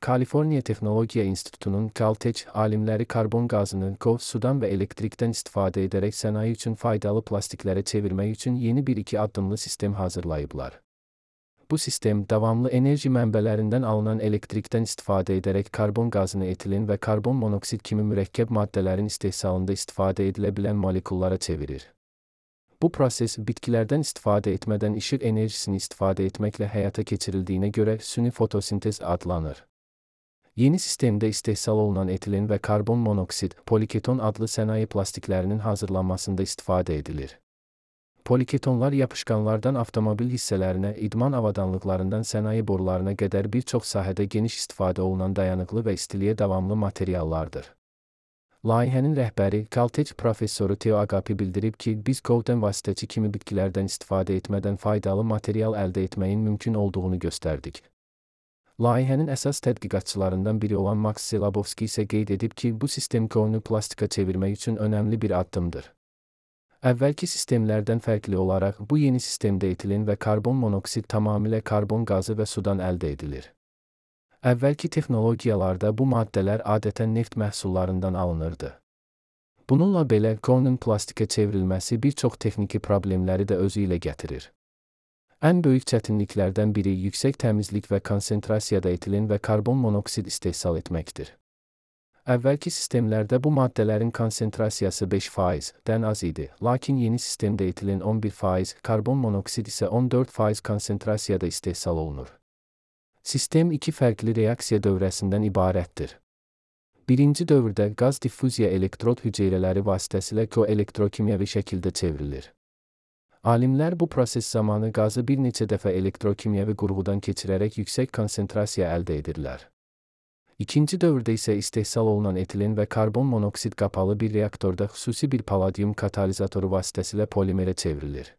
Kaliforniya Texnologiya İnstitutu'nun Caltech alimləri karbon qazını sudan və elektrikdən istifadə edərək sənaye üçün faydalı plastiklərə çevirmək üçün yeni bir iki addımlı sistem hazırlayıblar. Bu sistem, davamlı enerji mənbələrindən alınan elektrikdən istifadə edərək karbon qazını etilin və karbon monoksid kimi mürəkkəb maddələrin istehsalında istifadə edilə bilən molekullara çevirir. Bu proses, bitkilərdən istifadə etmədən işıq enerjisini istifadə etməklə həyata keçirildiyinə görə süni fotosintez adlanır. Yeni sistemdə istehsal olunan etilin və karbon monoksid, poliketon adlı sənaye plastiklərinin hazırlanmasında istifadə edilir. Poliketonlar yapışqanlardan avtomobil hissələrinə, idman avadanlıqlarından sənaye borularına qədər bir çox sahədə geniş istifadə olunan dayanıqlı və istiliyə davamlı materiallardır. Layihənin rəhbəri, Caltech professoru Theo Agapi bildirib ki, biz kovdan vasitəçi kimi bitkilərdən istifadə etmədən faydalı material əldə etməyin mümkün olduğunu göstərdik. Layihənin əsas tədqiqatçılarından biri olan Max Selabowski isə qeyd edib ki, bu sistem kovunu plastika çevirmək üçün önəmli bir addımdır. Əvvəlki sistemlərdən fərqli olaraq, bu yeni sistemdə etilin və karbon monoksid tamamilə karbon qazı və sudan əldə edilir. Əvvəlki texnologiyalarda bu maddələr adətən neft məhsullarından alınırdı. Bununla belə, kovunun plastikə çevrilməsi bir çox texniki problemləri də özü ilə gətirir. Ən böyük çətinliklərdən biri yüksək təmizlik və konsentrasiyada etilin və karbon monoksid istehsal etməkdir. Əvvəlki sistemlərdə bu maddələrin konsentrasiyası 5%-dən az idi, lakin yeni sistemdə etilin 11%, karbon monoksid isə 14% konsentrasiyada istehsal olunur. Sistem iki fərqli reaksiya dövrəsindən ibarətdir. Birinci dövrdə qaz diffuziya elektrod hüceyrələri vasitəsilə koelektrokimyəvi şəkildə çevrilir. Alimlər bu proses zamanı qazı bir neçə dəfə elektrokimyəvi qurğudan keçirərək yüksək konsentrasiya əldə edirlər. İkinci dövrdə isə istehsal olunan etilin və karbon monoksid qapalı bir reaktorda xüsusi bir palladium katalizatoru vasitəsilə polimerə çevrilir.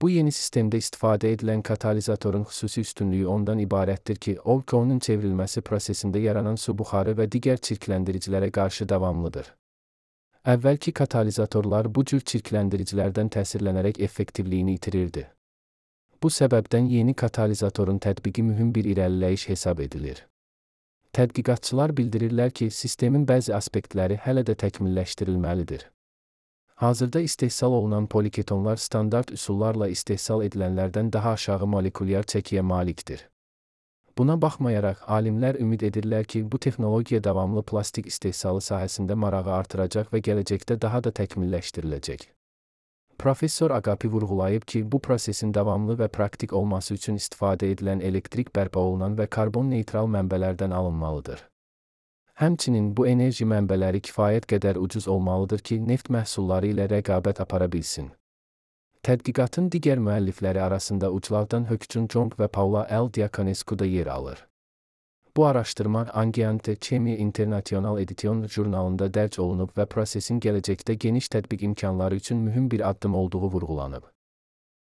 Bu yeni sistemdə istifadə edilən katalizatorun xüsusi üstünlüyü ondan ibarətdir ki, o, kovunun çevrilməsi prosesində yaranan su buxarı və digər çirkləndiricilərə qarşı davamlıdır. Əvvəlki katalizatorlar bu cür çirkləndiricilərdən təsirlənərək effektivliyini itirirdi. Bu səbəbdən yeni katalizatorun tətbiqi mühüm bir irəliləyiş hesab edilir. Tədqiqatçılar bildirirlər ki, sistemin bəzi aspektləri hələ də təkmilləşdirilməlidir. Hazırda istehsal olunan poliketonlar standart üsullarla istehsal edilənlərdən daha aşağı molekulyar çəkiyə malikdir. Buna baxmayaraq, alimlər ümid edirlər ki, bu texnologiya davamlı plastik istehsalı sahəsində marağı artıracaq və gələcəkdə daha da təkmilləşdiriləcək. Professor Agapi vurğulayıb ki, bu prosesin davamlı və praktik olması üçün istifadə edilən elektrik bərpa olunan və karbon neytral mənbələrdən alınmalıdır. Həmçinin bu enerji mənbələri kifayət qədər ucuz olmalıdır ki, neft məhsulları ilə rəqabət apara bilsin. Tədqiqatın digər müəllifləri arasında uclardan Hökçun Jong və Paula L. Diaconescu da yer alır. Bu araşdırma Ambiente Chemie International Edition jurnalında dərc olunub və prosesin gələcəkdə geniş tətbiq imkanları üçün mühüm bir addım olduğu vurğulanıb.